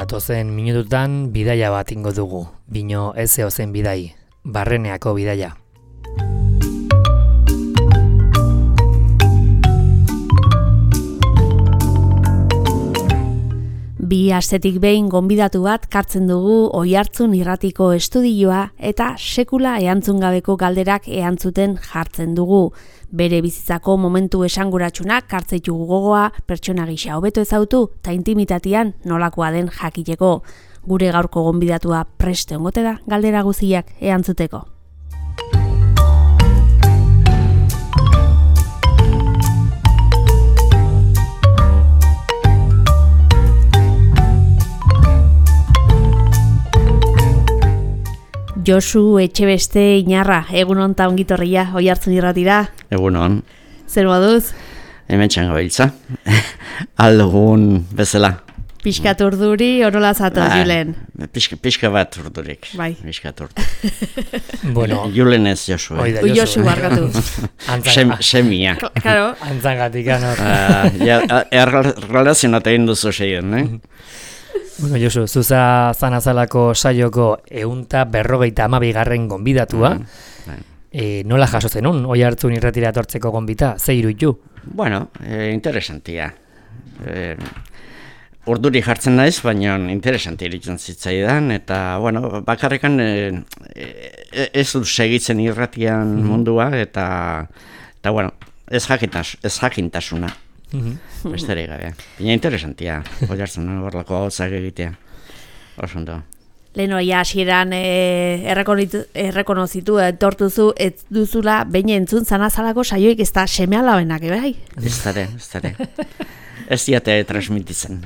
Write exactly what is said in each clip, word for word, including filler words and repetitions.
Datozen minututan bidaia bat ingo dugu, bino ez zehozen bidai, Barreneako bidaia. Bi astetik behin gonbidatu bat kartzen dugu Oihartzun irratiko estudioa eta sekula erantzun gabeko galderak erantzuten jartzen dugu. Bere bizitzako momentu esanguratsunak kartzeitugu gogoa, pertsona gisa hobeto ezautu eta intimitatean nolakoa den jakiteko. Gure gaurko gonbidatua preste ongote da galdera guztiak erantzuteko. Josu Etxebeste Inarra, egunon ta ongitorria Oihartzun irratira. Egunon. Zer moduz? Hemen txango biltza. Aldugun bezala. Piskat urduri, orola zato, ba, Julen. Piska, piska bat urdurik. Bai. Piskat urdurik. Bueno. Julen ez Josu. Eh? Josu, Josu barkatu. Sem, semia. Claro. Antzangatik, anor. Uh, ja, errelazionat egin duzu seien, eh? Bueno, Josu, zuza zanazalako saioko eunta berrogeita amabigarren gonbidatua. Mm, e, nola jaso zenun, Oihartzun irratira etortzeko gonbita, ze iruditu? Bueno, eh, interesantia. Eh, urduri jartzen naiz, baina interesantia iritzen zitzaidan, eta, bueno, bakarrekan eh, eh, ez dut segitzen irratian mm. mundua, eta, eta bueno, ez, jakintas, ez jakintasuna. Mm-hmm. Besterik gabe. Baina interesantia, Oihartzun horrelako gauzak egitea. Oso ondo. Leno ja hasieran eh, errekonozitu etortuzu ez duzula behin entzun zanazalako saioik ez da seme alabenak, bai? Ez dara, ez dara. Ez diate transmititzen.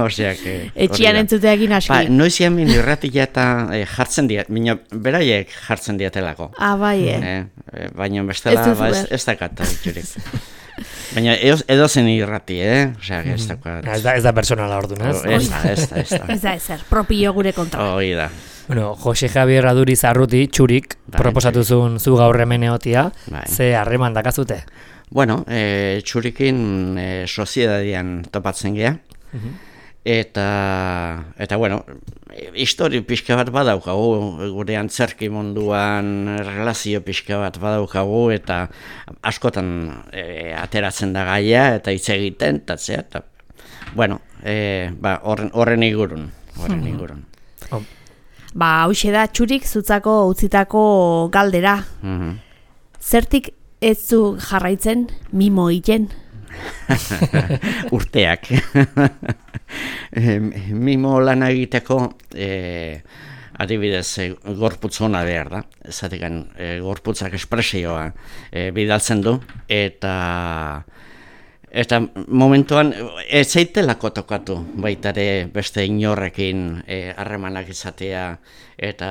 Oseak... Etxian entzuteakin aski. Ba, noizian min irratia eta eh, jartzen diat, mina beraiek jartzen diatelako. Ah, bai, eh? eh baina bestela ba, ez, ez dakat diturik. Baina edo zen irrati, eh? Osea, ez da... Ez da, ez da personala orduan, ez? Ez da, ez da, ez da. Ez da, ezer, propio gure kontra. Hoi da. Bueno, Jose Javier Aduriz Arruti, txurik, proposatuzun zu gaur hemen egotia, ze harreman dakazute? Bueno, e, txurikin e, soziedadian topatzen geha, uh-huh. eta, eta, bueno, histori pixka bat badaukagu, gure antzerki munduan relazio pixka bat badaukagu, eta askotan e, ateratzen da gaia, eta hitz egiten, eta zea, eta, bueno, e, ba, horren, horren igurun, horren uh-huh. igurun. Oh. Ba, hauxe da, txurik zutzako utzitako galdera. Uh-huh. Zertik ez zu jarraitzen mimo egiten? Urteak. Mimo lan egiteko e, adibidez e, gorputz ona behar da. Zatekan e, gorputzak espresioa e, bidaltzen du eta eta momentuan ez zaitelako tokatu baitare beste inorrekin harremanak e, izatea eta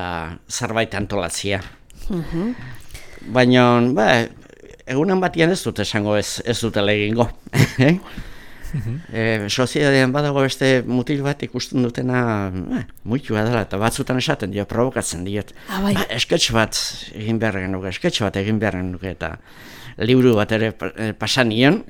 zerbait antolatzea. Uh-huh. Baina, ba, egunan batian ez dut esango ez, ez dutela egingo. eh? Uh-huh. e, Soziedadean badago beste mutil bat ikusten dutena eh, muitua dela, eta batzutan esaten dio, provokatzen diot. Ah, bai. Ba, esketx bat egin beharren nuke, esketx bat egin beharren nuke, eta liburu bat ere pasan nion.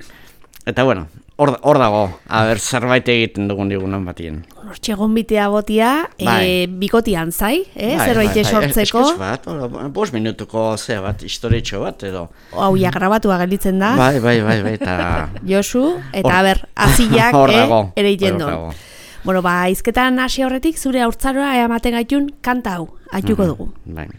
Eta bueno, hor, hor dago, haber zerbait egiten dugun digunan batien. Hortxe gonbitea botia, bai. e, bikotian zai, eh? bai, zerbait bai, bai. sortzeko. Esketx bat, bost minutuko zea bat, historietxo bat, edo. Hau ja grabatua gelditzen da. Bai, bai, bai, bai, eta... Josu, eta haber, aziak eh, ere iten duen. Bueno, ba, izketan hasi horretik, zure haurtzaroa eamaten gaitun kanta hau, aituko dugu. Bai.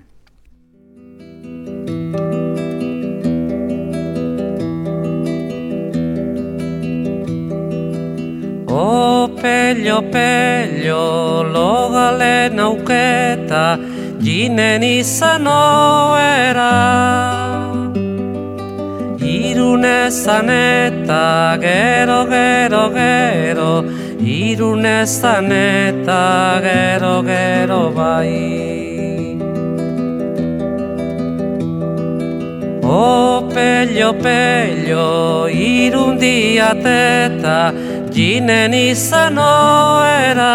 O pello, pello, logalen auketa, jinen izan oera. Irunezan eta gero, gero, gero, irunezan eta gero, gero bai. O pello, pello, irundiateta, jinen izan oera.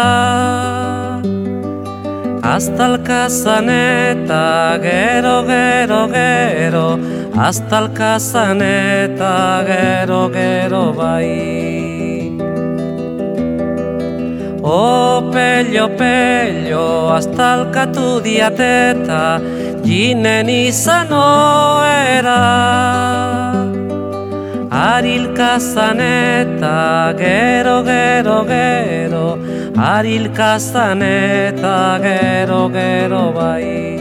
Aztalkazan eta gero, gero, gero, aztalkazan eta gero, gero bai. O pello, pello, astalkatu diateta, jinen izan oera. Arilkazan eta gero, gero, gero, arilkazan eta gero, gero bai.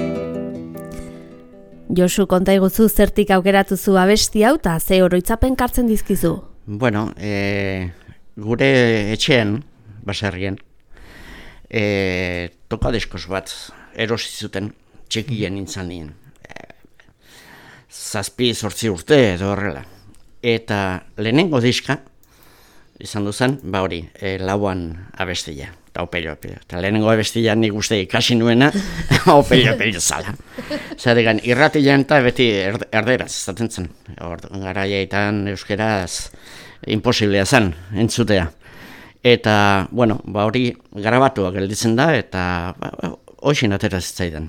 Josu, konta iguzu zertik aukeratu zu abesti hau eta ze oroitzapen kartzen dizkizu? Bueno, e, gure etxean, baserrien, e, tokadiskos bat erosi zuten, txikien nintzen nien. E, zazpi zortzi urte edo horrela. Eta lehenengo diska, izan duzan, ba hori, e, lauan abestia, eta opelio, opelio. Eta lehenengo abestia nik uste ikasi nuena, opelio, opelio zala. Zaregan, irratilean eta beti erde, erderaz, zaten zen. Garaiaitan euskeraz imposiblea zen, entzutea. Eta, bueno, ba hori garabatua gelditzen da, eta ba, hoxin atera zitzaidan.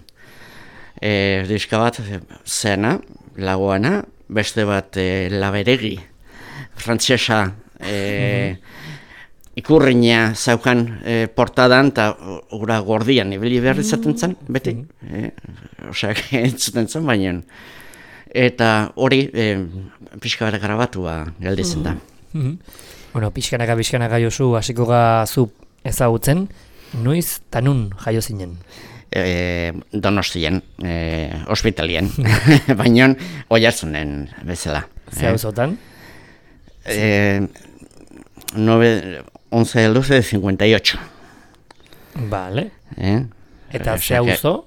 E, diska bat zena, lagoana, beste bat e, laberegi, frantsesa e, mm-hmm. ikurriña zaukan e, portadan, eta ura gordian ibili behar izaten zen, beti. Mm-hmm. E, Oseak entzuten zen, baina. Eta hori e, pixka bat garabatua gelditzen da. Mm-hmm. Bueno, pixkanaka, pixkanaka Josu, hasiko ga zu ezagutzen, noiz eta nun jaio zinen? E, Donostien, e, ospitalien, baina Oiartzunen bezala. Ze auzotan? Eh, once del doce de cincuenta y ocho. Vale. Eh? Eta ze auzo?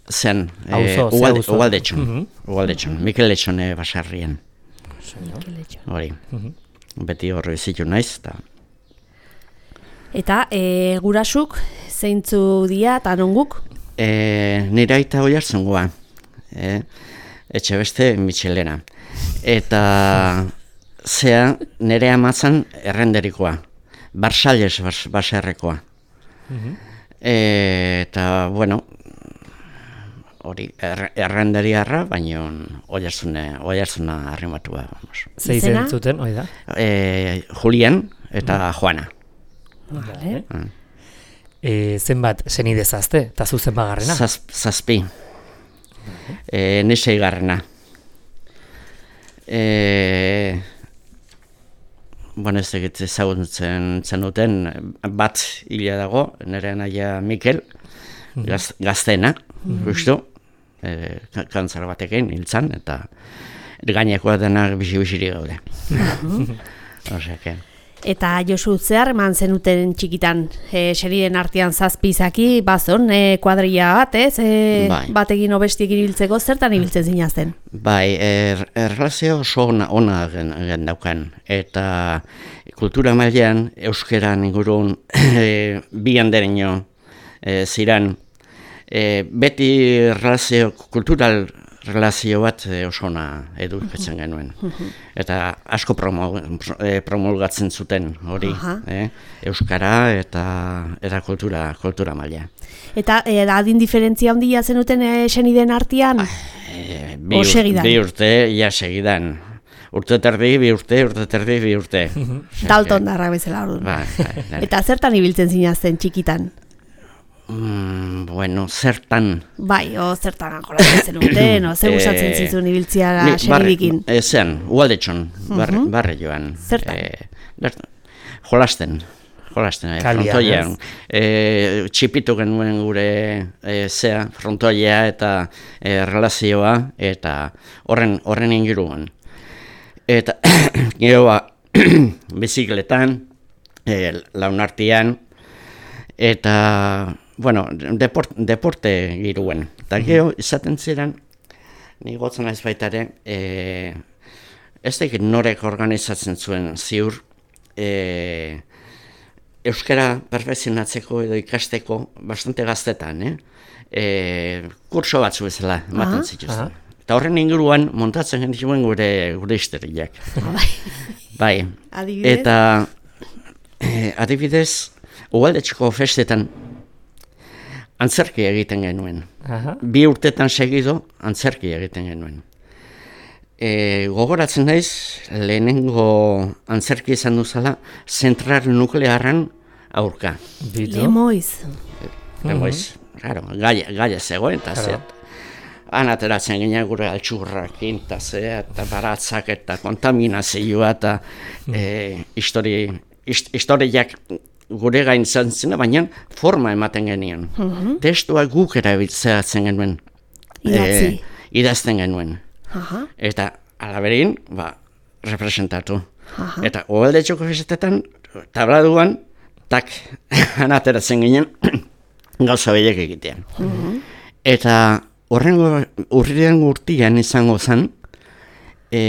Zen, Auzo, eh, ze auzo? Ugaldetxon, Mhm. Ugaldetxon, Mikel Letxone basarrien. Hori, Mhm. beti horri zitu naiz, eta Eta e, gurasuk zeintzu dia eta nonguk? E, nire aita Oiartzungoa, e, etxe beste Michelena. Eta zea nire amatzan errenderikoa, Barsales bas, baserrekoa. Mhm. E, eta, bueno, hori er, errenderiarra, baina Oiartzune, Oiartzuna arrimatua. Ze izen zuten, hori da? E, Julian eta Juana. Vale. Mm. E, zenbat senide zazte, eta zu zenbat garrena? Zaz, zazpi. E, Nisei garrena. E, bueno, ez egit ezagutzen zenuten, bat hila dago, nire naia Mikel, gaz, gaztena, justu, e, kantzar batekin hiltzan, eta gainekoa denak bizi-biziri gaude. Osea, Eta Josu, zehar eman zenuten txikitan, e, serien artean zazpi izaki, bazon, e, kuadrilla bat, ez? E, Bai. batekin obestiekin ibiltzeko, zertan ibiltzen zinazten? Bai, er, erlazio oso ona, ona gen, gen daukan, eta kultura mailean euskeran ingurun e, bi handereño e, ziran, e, beti relazio, kultural relazio bat e, oso ona edukatzen genuen. Eta asko promul, e, promulgatzen zuten hori, eh? Euskara eta, eta kultura, kultura maila. Eta e, adin diferentzia handia zenuten e, senideen artean? E, bi, O segidan? Bi urte, ja segidan. Urte terdi, bi urte, urte terdi, bi urte. Dalton darra bezala orduan. Bai, bai, bai. Eta zertan ibiltzen zinazten txikitan? Mm, bueno, zertan... Bai, o zertan jolatzen zenuten, o zer gustatzen Eh, zizun ibiltzia Ni- senidikin? barre- eh, Zean, Ugaldetxon, barre, Mhm. barre joan. Zertan? Eh, bert- jolasten, jolasten, eh, Kalian, frontoian. ez? Eh, txipitu genuen gure eh, zea, frontoia eta eh, relazioa, eta horren, horren inguruan. Eta gero ba, bizikletan, eh, launartian, eta, bueno, deport, deporte giruen. Eta gero, izaten ziren, ni gotzen naiz baita ere, e, ez dakit norek organizatzen zuen ziur, e, euskara perfekzionatzeko edo ikasteko bastante gaztetan, eh? E, kurso batzu bezala ematen Aha. zituzten. Eta horren inguruan montatzen genituen gure gure histeriak. Bai. Bai. Adibidez? Eta eh, adibidez, Ugaldetxeko festetan antzerki egiten genuen. Aha. Bi urtetan segido antzerki egiten genuen. E, gogoratzen naiz, lehenengo antzerki izan duzala, zentral nuklearran aurka. Lemoiz. Lemoiz, claro, gaia, gaia zegoen, eta zet. Han ateratzen ginen gure altxurrak, eta ze, eta baratzak, eta kontaminazioa, eta e, histori, hist, historiak gure gain izan zena, baina forma ematen genien. Uh-huh. Testua guk erabiltzeatzen genuen. Idatzi. E, idazten genuen. Uh-huh. Eta alaberin, ba, representatu. Uh-huh. Eta oaldetxoko festetan, tabladuan, tak, han ateratzen ginen, gauza behiek egitean. Uh-huh. Eta horrengo urriren urtian izango zen, e,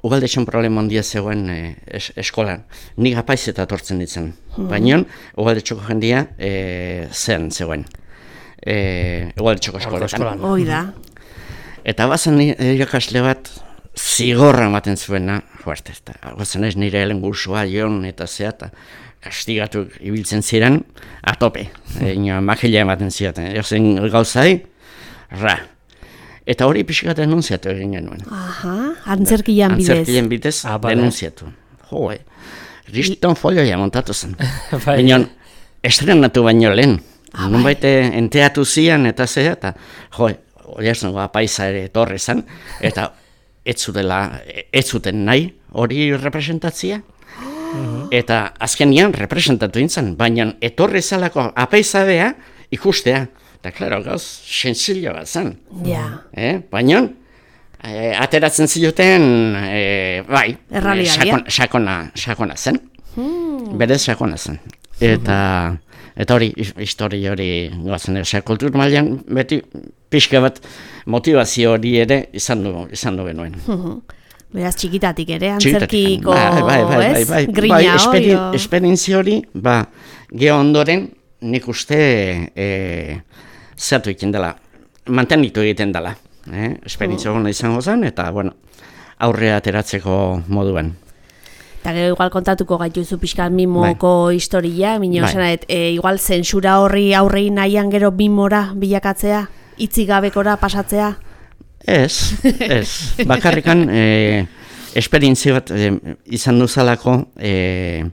ugaldetxon problema handia zegoen e, es, eskolan. Nik apaizeta tortzen ditzen. Hmm. Baina ugaldetxoko jendia e, zen zegoen. E, ugaldetxoko eskoletan. Hoi da. Eta bazen irakasle bat zigorra ematen zuena, fuerte, eta bazen ez nire helen gursua joan eta zea, eta kastigatu ibiltzen ziren, atope. E, Makila ematen ziaten. Ezen gauzai, ra. Eta hori pixkat denunziatu egin genuen. Aha, antzerkian bidez. Antzerkian bidez ah, denunziatu. Jo, eh. Riston folioia montatu zen. Baina estrenatu baino lehen. Ah, nun baite enteatu zian eta zea, eta jo, hori esan apaisa ere etorri zen, eta ez zutela, ez zuten nahi hori representatzia. Eta azkenian representatu intzan, baina etorri zalako apaizadea ikustea. Eta, klaro, gauz, sentzillo bat zen. Ja. Eh? Baina, eh, ateratzen zioten, eh, bai, eh, sakon, sakona, sakona zen. Hmm. Berez sakona zen. Eta, eta hori, historia hori goazen, osea, kultur mailan beti pixka bat motivazio hori ere izan du, izan du genuen. Beraz, txikitatik ere, antzerkiko, bai, bai, bai, bai, bai, bai, grina bai, esperi, hori. Esperientzia hori, ba, geho ondoren, nik uste, e, zertu egiten dela, mantenitu egiten dela. Eh? Esperientzia hona izango zen, eta, bueno, aurrea ateratzeko moduan. Eta gero igual kontatuko gaituzu pixkat mimoko bai. Historia, minio bai. e, igual zentsura horri aurrei nahian gero mimora bilakatzea, hitzik gabekora pasatzea? Ez, ez. Bakarrikan, e, esperientzia bat e, izan duzalako, e,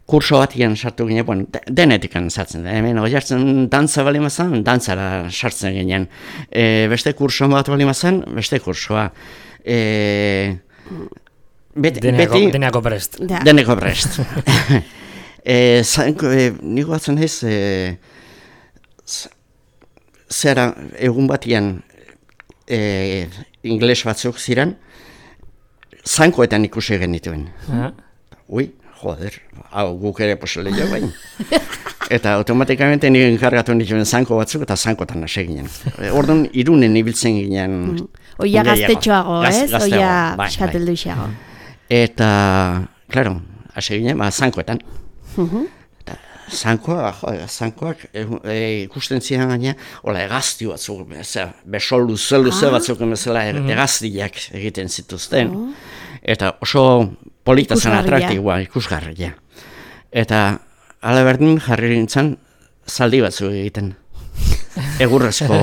kurso batian sartu ginen, bueno, denetikan sartzen da, hemen oiartzen dantza bali mazan, dantzara sartzen ginen. E, beste kurso bat bali mazan, beste kursoa. E, bet, deneko, beti, deneko prest. Da. Deneko prest. e, zanko, e, niko batzen ez, e, zera egun batian e, ingles batzuk ziren, zankoetan ikusi genituen. Ah. Ui, joder, hau guk ere posele jo bain. Eta automatikamente nire enkargatu nituen zanko batzuk eta zankotan hasi ginen. Orduan, Irunen ibiltzen ginen. Oia gaztetxoago, ez? Gaz, Oia bai, eskatelduixeago. Eta, klaro, hasi ginen, ba, zankoetan. Uh-huh. Eta, zankoa, jo, zankoak e, e, ikusten ziren gaina, hola, egazti batzuk, besol luze luze ah. batzuk emezela egaztiak egiten zituzten. Uh-huh. Eta oso polita zen atraktiboa, ikusgarria. Eta ala berdin jarri nintzen zaldi batzuk egiten. Egurrezko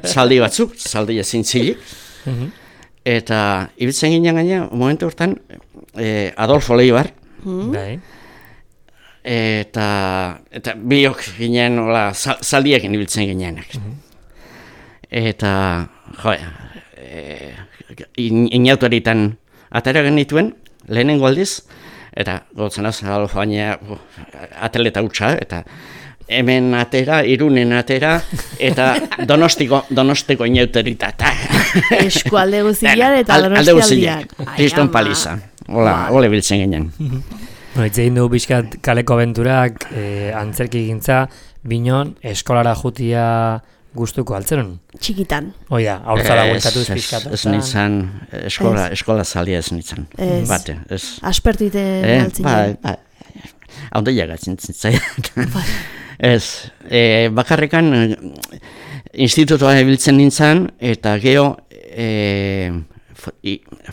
zaldi batzuk, zaldi ezin zilik. Eta ibiltzen ginen gaina, momentu hortan, eh, Adolfo Leibar. Bai. Eta, eta biok ginen, hola, zaldiekin ibiltzen ginenak. Eta, jo, eh, inautoritan atera genituen, lehenengo aldiz, eta gotzen az, baina atleta hutsa, eta hemen atera, Irunen atera, eta donostiko, donostiko inauterita. Eskualde guziak eta donostialdiak. Kriston paliza. Hola, hole biltzen ginen. Itzein du bizkat kaleko abenturak, eh, antzerki gintza, binon, eskolara jutia gustuko altzeron. Txikitan. Oia, haurtzara gueltatu izpizkat. Ez nintzen, eskola, eskola zalia ez nintzen. Ez. Bate, ez. Aspertuite eh, altzinen. Ba, ba, haude jagatzen zintzen. Ez, e, bakarrikan institutoa ebiltzen nintzen, eta geho e,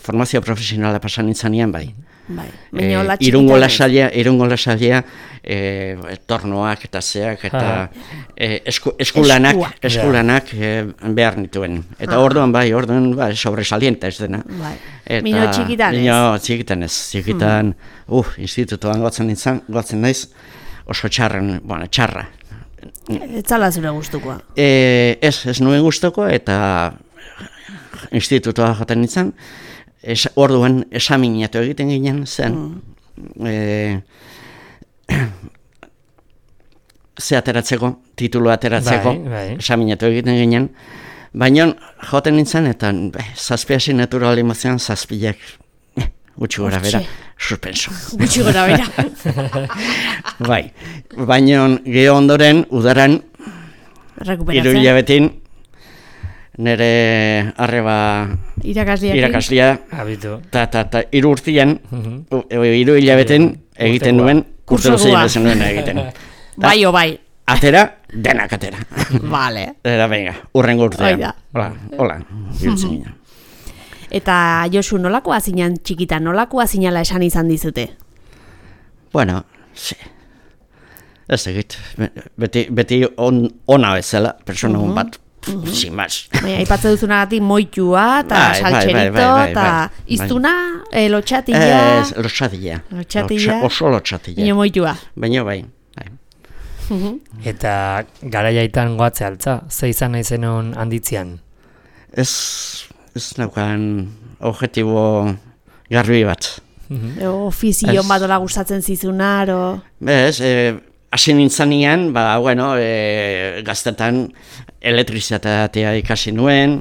formazio profesionala pasan nintzanean bai. Bai, e, irungo lasalia, irungo lasalia, e, tornoak eta zeak, eta e, esku, eskulanak, eskulanak e, behar nituen. Eta orduan bai, orduan bai, sobresalienta ez dena. Bai. Mino txikitan ez? Mino txikitan ez, txikitan, mm. uh, institutuan gotzen nintzen, gotzen naiz, oso txarren, bueno, txarra. Ez zala zure gustukoa? E, ez, ez nuen gustuko, eta institutua joten nintzen, es, orduan esaminatu egiten ginen zen, mm. e, ze ateratzeko, titulu ateratzeko, bai, bai. esaminatu egiten ginen, baina joten nintzen, eta zazpi asignatura alimazioan zazpiak, eh, gutxi gora bera, suspenso. Gutxi gora bera. Bai, baina geho ondoren, udaran, hiru hilabetin, nire arreba irakaslia, eta ta, ta, hiru urtian, hiru hilabetin egiten nuen, urte luzein bezen nuen egiten. Bai o bai. Atera, denak atera. Vale. Eta venga, urrengo urtean. Hola, hola, biltzen ginen. Eta Josu, nolakoa zinan txikita, nolakoa zinala esan izan dizute? Bueno, sí. Ez egit, beti, beti on, ona bezala, persona hon bat, sin más. Baina, ipatze duzunagatik moitua, eta saltxerito, eta iztuna, lotxatilla. Ez, lotxatilla. Lotxatilla. Oso lotxatilla. Baina moitua. Baina bai. Eta garaiaitan goatze altza, ze izan nahi zenon handitzean? Ez, ez naukan objektibo garbi bat. Ofizion bat ola gustatzen zizunar, o... Bez, hasi nintzanean, ba, bueno, e, gaztetan elektrizitatea ikasi nuen,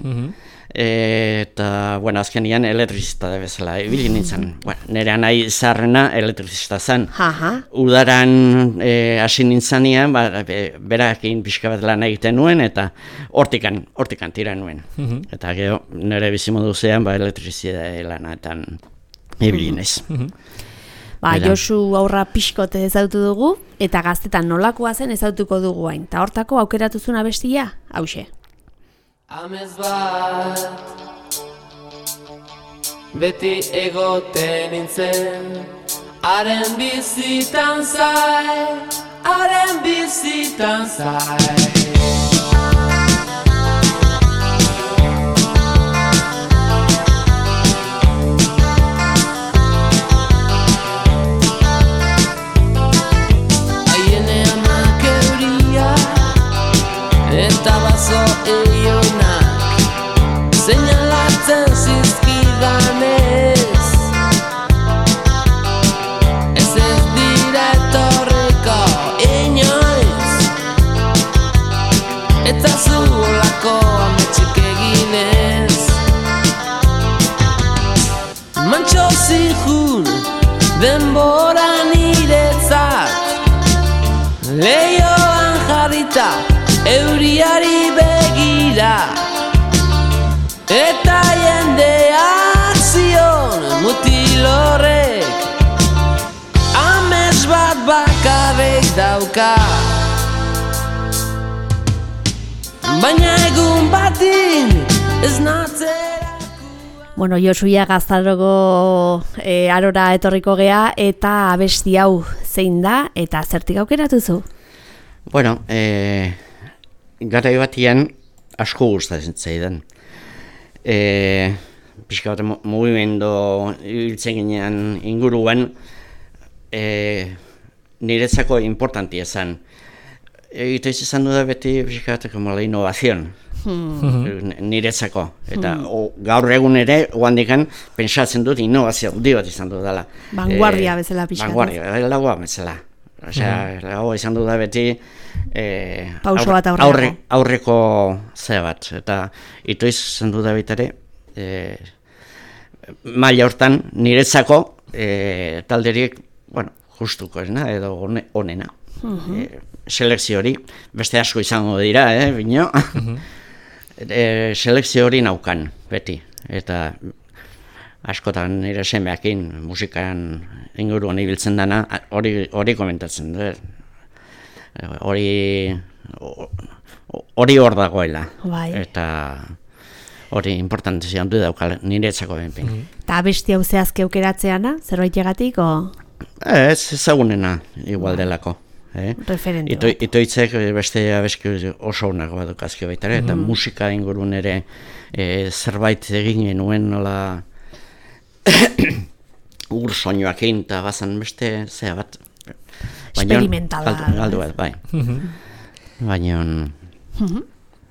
eta, bueno, azkenian elektrizitatea bezala ibili nintzen. Bueno, nire nahi zaharrena elektrizita zen. Udaran hasi nintzanean, ba, berakin pixka bat lan egiten nuen, eta hortikan, hortikan tira nuen. Eta gero, nire bizimodu zean, ba, elektrizitatea lanaetan ibili naiz. Ba, Josu aurra pixkote ezautu dugu, eta gaztetan nolakoa zen ezautuko dugu hain. Ta hortako aukeratu zuen abestia, hauxe. Amez bat, beti egoten nintzen, haren bizitan zai, haren bizitan zai. Eta bazo eionak seinalatzen zizkidanez, ez ez dira etorriko inoiz, eta zuolako ametxik eginez. Mantxo zihun denbora niretzat, leioan jarrita euriari begira, eta jendeak zion mutilorrek, amets bat bakarrik dauka. Baina egun batin ez natzera. Bueno, Josuia Gaztarogo e, arora etorriko gea, eta abesti hau zein da, eta zertik aukeratu zu? Bueno, eh... garai batian asko gustatzen zaidan. E, pixka bat mugimendu ibiltzen ginean inguruan, e, niretzako importantia zen. Eta izan du da beti pixka bat como la innovación, hmm. niretzako. Eta hmm. o, gaur egun ere, oandikan, pentsatzen dut innovazio handi bat izan du dela. Vanguardia bezala pixka. Vanguardia, lagoa bezala. Osea, mm. lago izan du da beti eh, pauso bat aurreko. Aurre, aurreko ze bat. Eta ito izan du da bitare eh, maila hortan niretzako eh, talderiek, bueno, justuko esna, edo onena. Mm-hmm. eh, selekzio hori, beste asko izango dira, eh, bino? Mm-hmm. eh, selekzio hori naukan, beti. Eta askotan nire semeakin musikan inguruan ibiltzen dana, hori hori komentatzen dut. Hori hori hor dagoela. Bai. Eta hori importantzia handu daukala niretzako benpin. Eta abesti hau zehazke aukeratzeana, zerbait o? Ez, ezagunena igual delako. Eh? Referente Ito, bat. Itoitzek beste abeski oso onak bat dukazke baita ere, eta musika ingurun ere e, zerbait egin genuen nola ur soinuakin, eta bazan beste, zea bat. Experimentala. Galdu bat, bai. Baina...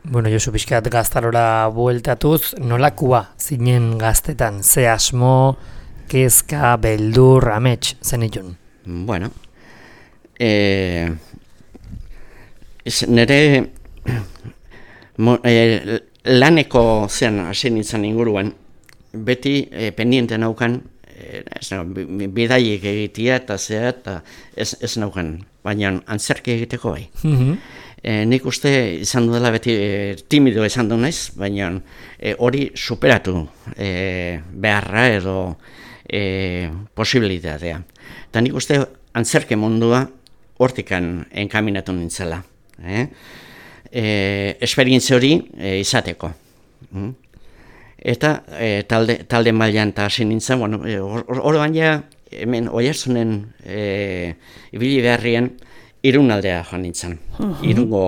Bueno, Josu, pixkat gaztarora bueltatuz, nolakua zinen gaztetan, ze asmo, kezka, beldur, amets, zenitun? Bueno, e, nire mo, e, laneko zean hasi nintzen inguruan, beti e, pendiente naukan, e, ez nago, bidaiek egitea eta zea, eta ez, ez naukan, baina antzerki egiteko bai. E, nik uste izan dudala beti e, timido izan du naiz, baina e, hori superatu e, beharra edo e, posibilitatea. Eta nik uste antzerke mundua hortikan enkaminatu nintzela. Eh? E, esperientzia hori e, izateko. Mm? Eta e, talde, talde mailan eta hasi nintzen, bueno, e, hor baina hemen Oiartzunen e, ibili beharrien, Irunaldea joan nintzen, uh-huh. irungo,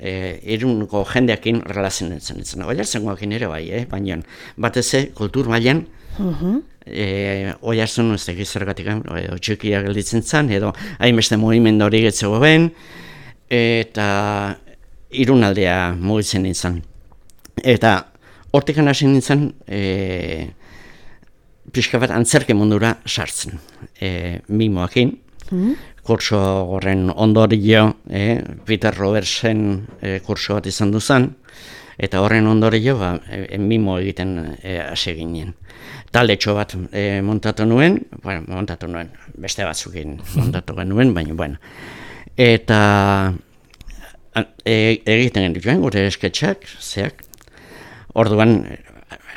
e, irungo jendeakin relazionetzen nintzen. Oiartzengoakin ere bai, eh? Baina batez kultur mailan, uh-huh. e, Oiartzun ez dakiz zergatik, edo txikia gelditzen zen, edo hainbeste mugimendu hori getzego ben, eta Irunaldea mugitzen nintzen. Eta hortikan hasi nintzen, e, pixka bat antzerke mundura sartzen, e, mimoakin, uh-huh. kurso horren ondorio, eh, Peter Robertsen eh, kurso bat izan duzan, eta horren ondorio ba, e, mimo egiten hasi e, ginen. Taldetxo bat e, montatu nuen, bueno, montatu nuen, beste batzukin montatu genuen, baina, bueno. Eta e, egiten genituen gure esketxak, zeak, orduan,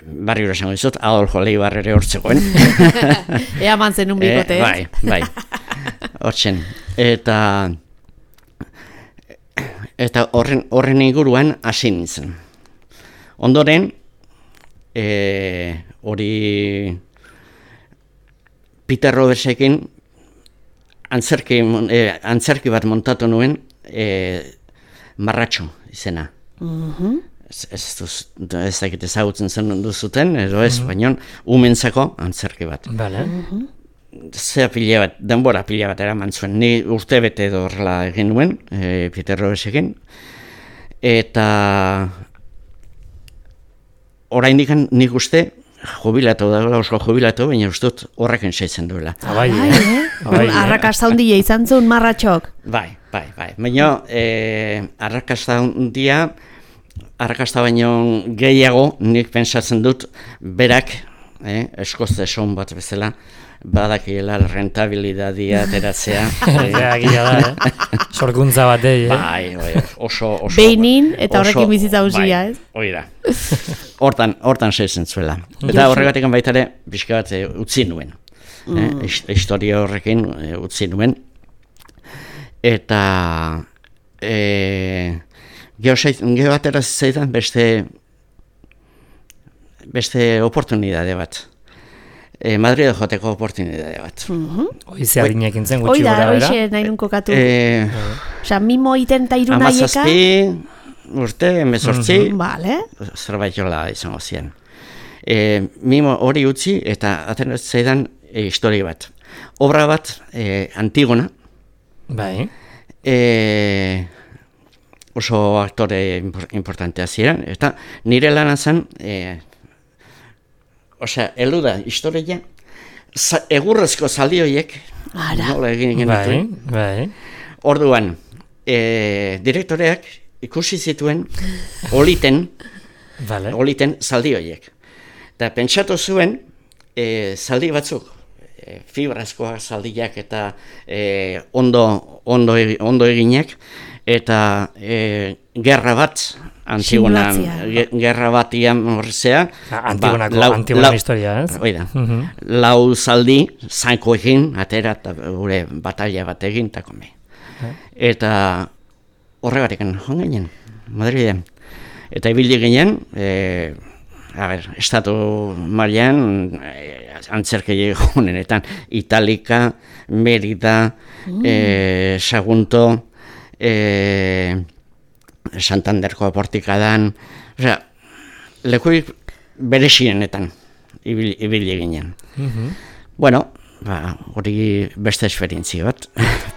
barri esango dizut, Adolfo Leibar ere hortzegoen. Ea mantzen un bikote, e, bai, bai. Hortzen, eta eta horren, horren inguruan hasi nintzen. Ondoren, e, hori Peter Robertsekin antzerki, e, antzerki bat montatu nuen, e, Marratxo izena. Uh-huh. Ez, ez, ez dakit ezagutzen zen duzuten, edo ez, uh-huh. baina umentzako antzerki bat. Vale. Uh-huh. Zea pila bat, denbora pila bat eraman zuen, ni urte bete edo horrela egin nuen, e, Peter Robertsekin, eta oraindik nik uste jubilatu da, oso jubilatu, baina uste dut horrekin seitzen duela. Abai, eh? Abai, arrakasta hundia izan zuen Marratxok. Bai, bai, bai, baina e, arrakasta hundia, arrakasta baino gehiago nik pentsatzen dut berak, eh, eskozte son bat bezala, badakiela rentabilidadia ateratzea. Eta gila da, eh? Sorkuntza bat, eh? Bai, bai, oso, oso... Beinin eta horrekin bizitza usia, ez? Bai, hori da. Hortan, hortan seitzen zuela. Eta horregatik baitare, pixka bat utzi nuen. Mm. Eh? Historia horrekin e, utzi nuen. Eta... E, Geho atera zaitan beste... Beste oportunidade bat. E, Madrid joteko oportunidade bat. Uh-huh. Oize adinekin zen gutxi gora, bera. Oize, nahi nun kokatu. E, Osa, mimo iten ta iruna aieka? Amazazpi, urte, emezortzi, uh-huh. Vale. Zerbait jola izango ziren. E, mimo hori utzi eta aten zaidan e, historia bat. Obra bat, e, Antigona. Bai. E, oso aktore importantea ziren. Eta nire lana zen... E, Osea, elu da, historia, za, egurrezko zaldi horiek, nola egin genituen. Bai, bai. Orduan, e, direktoreak ikusi zituen oliten, vale. oliten zaldi horiek. Eta pentsatu zuen, e, zaldi batzuk, e, fibrazkoak zaldiak eta e, ondo, ondo, ondo eginak, eta e, gerra bat, Antigonan, gerra batian horrezea. Antigonako, ba, Antigona historia, ez? Oida, uh-huh. lau zaldi, zanko egin, atera eta gure batalla bat egin, eta kome. Uh-huh. Eta horregarikan, joan ginen, Madriden. Eta ibili ginen, e, a ber, estatu mailan e, antzerkei honenetan, Italika, Merida, mm. e, Sagunto, e, Santanderko aportikadan, osea, lekuik berexienetan ibili, ibili ginen. Mhm. Bueno, ba, hori beste esperientzia bat,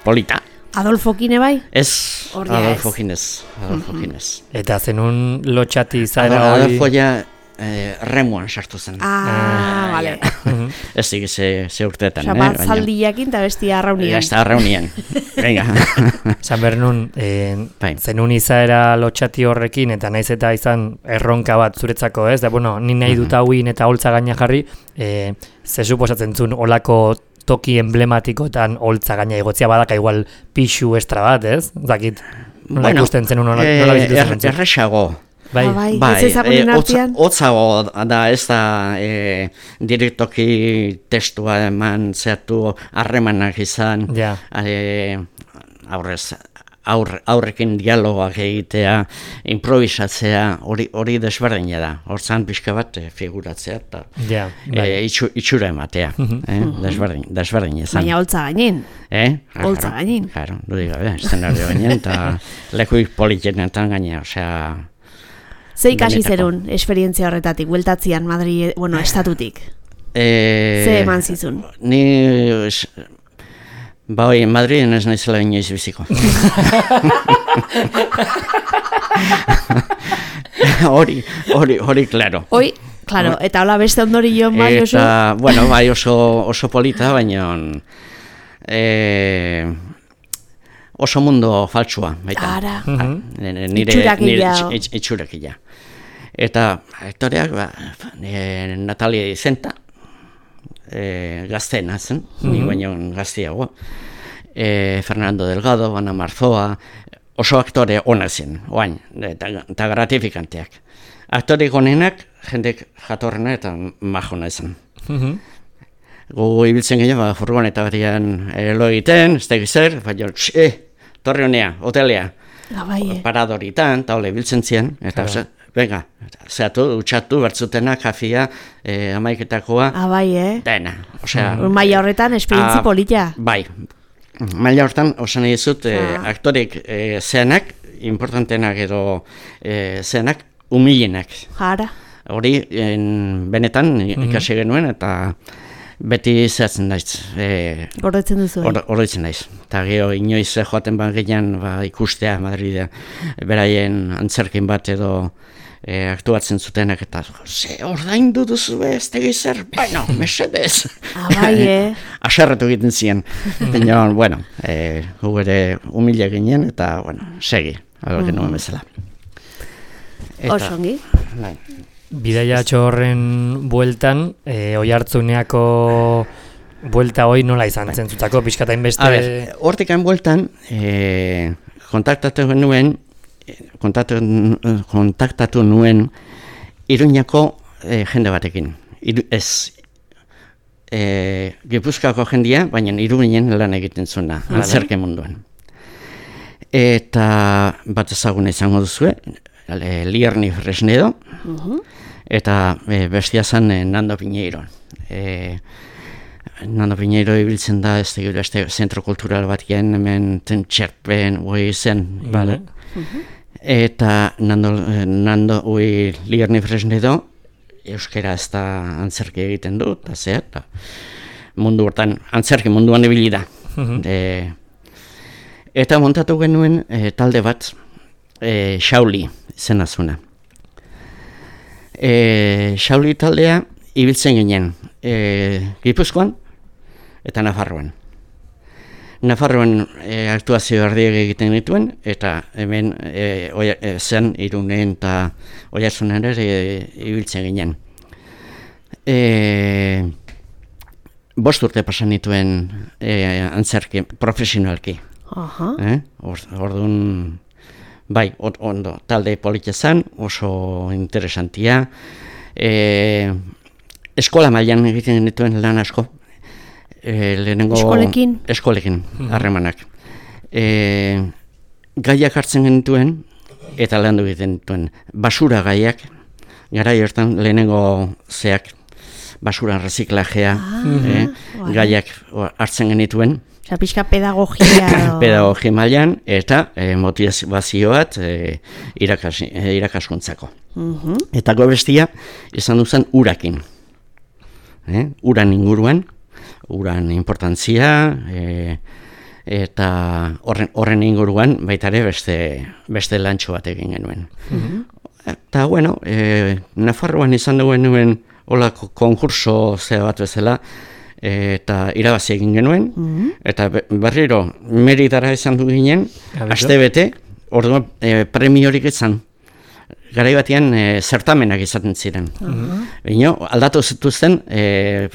polita. Adolfo Kine bai? Ez, Hori ez. Adolfo Ginez, Adolfo Ginez. Eta zenun lotxati izaera hori... Adolfo ja eh, remuan sartu zen. Ah, vale. Ez dik ze, ze urteetan, Osa, eh? bat baina- zaldiakin eta bestia arraunian. Ja, ez da arraunian. Venga. Zan behar nun, eh, Bai. zenun izaera lotxati horrekin, eta naiz eta izan erronka bat zuretzako, ez? Da, bueno, ni nahi dut hauin eta holtza gaina jarri, eh, ze suposatzen zuen olako toki emblematikotan holtza gaina igotzia badaka igual pixu estra bat, ez? Zakit, nola Bueno, ikusten zenun nola, eh, nola bizitu er, zen. erresago. Bai, Ah, bai. Bai, Ez ezagunen eh, hotza- artean? hotzago da ez da eh, direktoki testua eman zehatu harremanak izan, Ja. eh, aurrez, aur, aurrekin dialogoak egitea, improvisatzea, hori hori desberdina da. Hortzan pixka bat eh, figuratzea eta ja, bai. eh, itxu, itxura ematea. eh, desberdin, desberdin izan. Baina holtza gainin. Eh? Holtza Claro, gainin. Claro, du diga, eszenario gainean, eta lekuik politenetan gaina, osea... Ze ikasi Benetako. zerun esperientzia horretatik, bueltatzian Madrid, bueno, estatutik. Eh, Ze eman zizun? Ni... es- Ba, hoi, Madriden ez naizela inoiz biziko. Hori, hori, hori, claro. Hoi, claro, eta hola beste ondorio bai oso. Eta, bueno, bai oso, oso polita, baina eh, oso mundo faltsua, baita. Ara. Mhm. Nire, nire, Itxurakila. nire itx- itxurakila. Eta aktoreak, ba, e, Natalia Dizenta, e, gazteena zen, ni baino gazteago. E, Fernando Delgado, Ana Marzoa, oso aktore ona zen, oain, eta, eta gratifikanteak. Aktoreik onenak, jendek jatorrena eta majona zen. Mhm. Gogo ibiltzen ginen, ba, furgoneta barian elo egiten, ez da zer, baina, eh, torre honea, hotelea, Ah, bai, eh. paradoritan, eta hole biltzen ziren, eta Claro. ze, venga, zehatu, utxatu, bertzutena, kafia, eh, amaiketakoa, Ah, bai, eh. dena, osea... Maila horretan esperientzi ah, polita. Bai, maila hortan, osan nahi dizut, eh, Ah. aktorek eh, zeanak, importantenak edo eh, zeanak, humilenak. Jara. Hori, en, benetan, ikasi genuen, eta beti zehatzen naiz, eh, Gordetzen duzu. Hor- Horretzen naiz. Eta gero inoiz eh, joaten ba gehian ba, ikustea Madride, beraien antzerkin bat edo e, aktuatzen zutenak eta ze ordaindu duzu ez tegi zer, bueno, mesedez. Ah, bai, eh. Aserretu egiten ziren. Baina, bueno, e, gu ere humile ginen eta, bueno, segi, algo genuen bezala. Oso ongi. Bai. Bidaiatxo horren bueltan, e, oihartzuneako buelta hoi nola izan zentzutako, pixkatain beste... A ber, hortikan bueltan, e, kontaktatu nuen, kontaktatu, kontaktatu nuen Iruñako e, jende batekin. Iru, ez, e, Gipuzkoako jendia, baina Iruñen lan egiten zuena, antzerke munduan. Eta bat ezaguna izango duzue, e, Lierni Fresnedo, eta e, bestia zen e, Nando Piñeiro. E, Nando Piñeiro ibiltzen da, ez da, este zentro kultural bat gen, hemen ten txerpen, ui zen. Vale. Eta Nando, eh, Nando ui Lierni Fresnedo, euskera ez da antzerki egiten du, eta zea, eta mundu hortan, antzerki munduan ibili da. E, eta montatu genuen e, talde bat, e, Xauli zena zuna. E, Xauli taldea ibiltzen ginen e, Gipuzkoan eta Nafarroan. Nafarroan e, aktuazio erdiek egiten dituen, eta hemen e, oia, e, zen Irunen eta Oiartzunen ere e, ibiltzen ginen. E, bost urte pasan dituen e, antzerki, profesionalki. Aha. Eh? Or, orduan, bai, on- ondo, talde polita zen, oso interesantia. E, eskola mailan egiten dituen lan asko. E, lehenengo, Eskolekin? Eskolekin, harremanak. E, gaiak hartzen genituen, eta landu egiten dituen. Basura gaiak, garai hortan lehenengo zeak, basura reziklajea, eh, vale. gaiak o, hartzen genituen. Osa, pixka pedagogia. edo- Pedagogia mailan eta e, motivazio bat e, irakas, e, irakaskuntzako. Mhm. Eta gobestia izan duzan urakin. eh? uran inguruan, uran importantzia, e, eta horren, horren inguruan baita ere beste, beste lantxo bat egin genuen. Mm-hmm. Eta, bueno, e, Nafarroan izan duen nuen holako konkurso zea bat bezala, eta irabazi egin genuen, mm-hmm. eta berriro Meridara izan du ginen, aste bete, orduan e, premiorik izan. Garai batean e, zertamenak izaten ziren. Mm-hmm. Bino, aldatu zituzten e,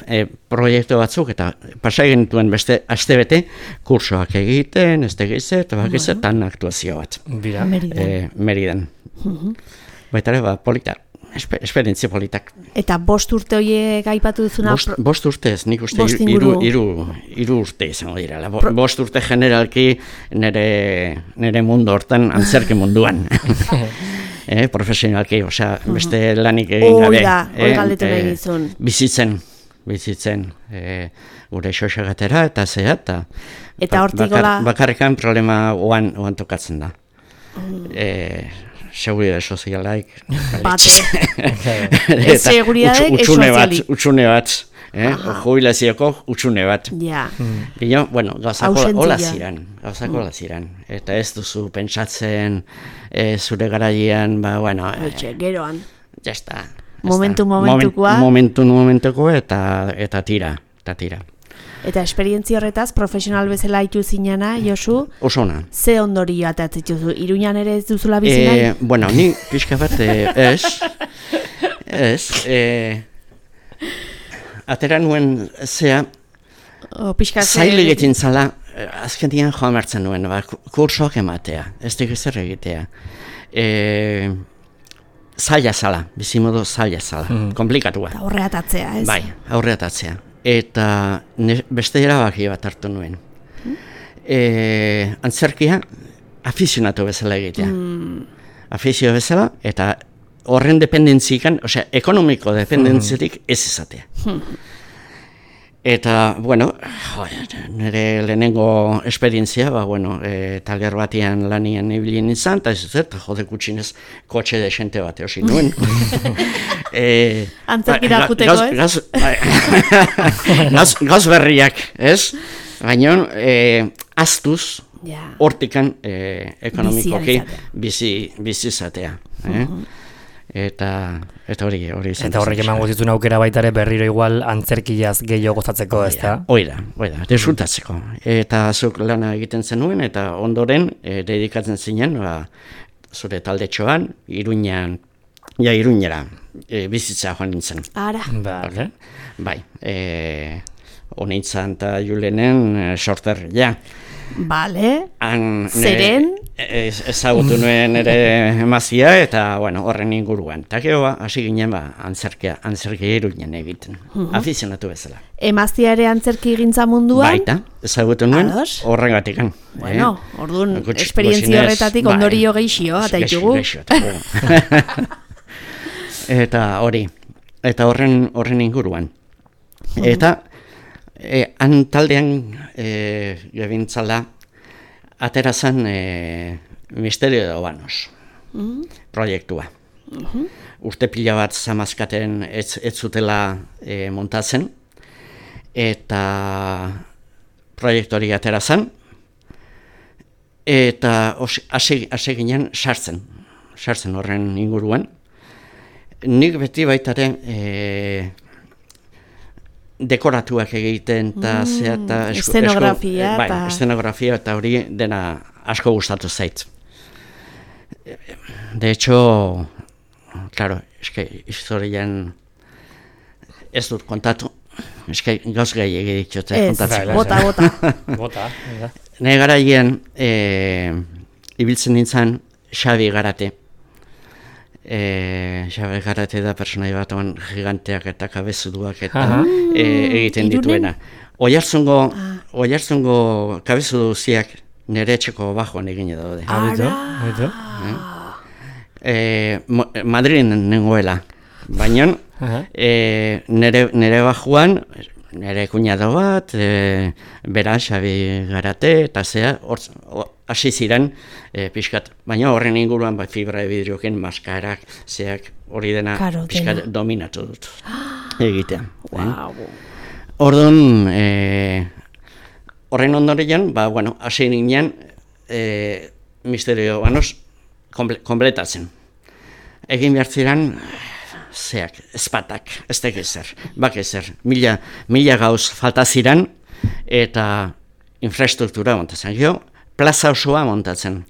e, proiektu batzuk, eta pasa egin dituen beste aste bete, kursoak egiten, ez tegize, eta bakize, mm-hmm. tan aktuazio bat. Bira. Meridan. E, Meridan. Mm-hmm. Baita ere, ba, polita. Esper, esperientzia politak. Eta bost urte horiek aipatu duzuna... Bost, bost urte ez, nik uste iru, iru, iru urte izango direla. Bo, bost urte generalki nire, nire mundu hortan antzerki munduan. eh, profesionalki, osea, beste lanik egin gabe. Oida, eh, oi galdetu nahi eh, gizun. Bizitzen, bizitzen. Eh, gure xoxagatera eta zea, eta... Eta hortik gola... Bakar, bakarrikan problema oan, oan tokatzen da. Mm. Eh, Seguridade sozialaik. Bate. Ez seguridadek, ez sozialik. Utxune bat, eh? Jubilazioko utxune bat. Ja. Bino, bueno, gauzako hola ziren, gauzako hola ziren. Eta ez duzu pentsatzen eh, zure garaian, ba, bueno... Etxe, geroan. Ja está. Momentu momentukoa. Momentu momentuko eta, eta tira, eta tira. Eta esperientzia horretaz, profesional bezala itu zinana, Josu? Oso ona. Ze ondorio atatzen dituzu? Iruñan ere ez duzula bizi nahi? Eh, bueno, ni pixka bat eh, ez, ez, eh, atera nuen zea, o, pixka zaila egiten zala, azken dian joan martzen nuen, ba, kursoak ematea, ez dugu zer egitea. Eh, zaila zala, bizimodo zaila zala, mm. komplikatua. Eta aurre atatzea, ez? Bai, aurre atatzea. Eta ne, beste erabaki bat hartu nuen. Hmm? E, antzerkia afizionatu bezala egitea. Hmm. Afizio bezala, eta horren dependentzikan, osea, ekonomiko dependentziatik ez izatea. Hmm. Eta, bueno, jo, nire lehenengo esperientzia, ba, bueno, e, taler batean lanian ibilin izan, eta ez ez, eta jode kutxinez kotxe desente bate hosi nuen. e, Antzerkira ba, juteko, ez? Gaz, gaz, gaz berriak, ez? Baina, e, aztuz, hortikan e, ekonomikoki bizi izatea. Eh? Uh-huh. Eta eta hori hori izan. Eta horrek emango zituen aukera baita ere berriro igual antzerkiaz gehiago gozatzeko, ezta? Oida, oida, desfrutatzeko. Eta zuk lana egiten zenuen eta ondoren e, dedikatzen zinen, ba, zure taldetxoan, Iruñan, ja Iruñera e, bizitza joan nintzen. Ara. Vale. Bai, e, Onitzan eta Julenen e, sorter, ja. Bale, Han, zeren? Ez, ezagutu nuen ere emazia eta bueno, horren inguruan. Eta gero ba, hasi ginen ba, antzerkia, antzerkia Iruñan egiten, uh-huh. afizionatu bezala. Emazia ere antzerki gintza munduan? Baita, ezagutu nuen horregatikan. Bueno, eh? Orduan, esperientzia horretatik bai, ondorio geixio, eta ditugu. Eta hori, eta horren, horren inguruan. Uh-huh. Eta E, han taldean e, gebintzala aterazan e, Misterio de Obanos uh-huh. proiektua. Uh-huh. Urte pila bat zamazkaten ez, ez zutela e, montatzen eta proiektu hori aterazan eta hasi ginen sartzen, sartzen horren inguruan. Nik beti baitare e, dekoratuak egiten eta mm, zea eta eszenografia bai, eszenografia eta hori dena asko gustatu zait. De hecho, claro, eske historian ez dut kontatu, eske gauz gai egitxote kontatzen. Bota, bota. Bota. Ne garaien e, ibiltzen nintzen Xabi Garate. E, Xabi Garate da personai bat oan giganteak eta kabezuduak eta e, egiten dituena. Oiartzungo, ah. oiartzungo kabezudu ziak nire etxeko bajoan egine daude. Ara! E, Madrid nengoela, baina e, nire, nire bajoan, nire kuñado bat, e, bera Xabi Garate eta zea, hasi ziren e, pixkat, baina horren inguruan ba, fibra de vidrioken, maskarak, zeak, hori dena Karo, pixkat dominatu dut. egitea. Wow. Eh? Orduan, e, horren ondorian, ba, bueno, hasi ginen, e, misterio banoz, komple, kompletatzen. Egin behar ziren, zeak, ezpatak, ez da ezer, bak ezer, mila, mila gauz falta ziren, eta infrastruktura montatzen. Gero, plaza osoa montatzen.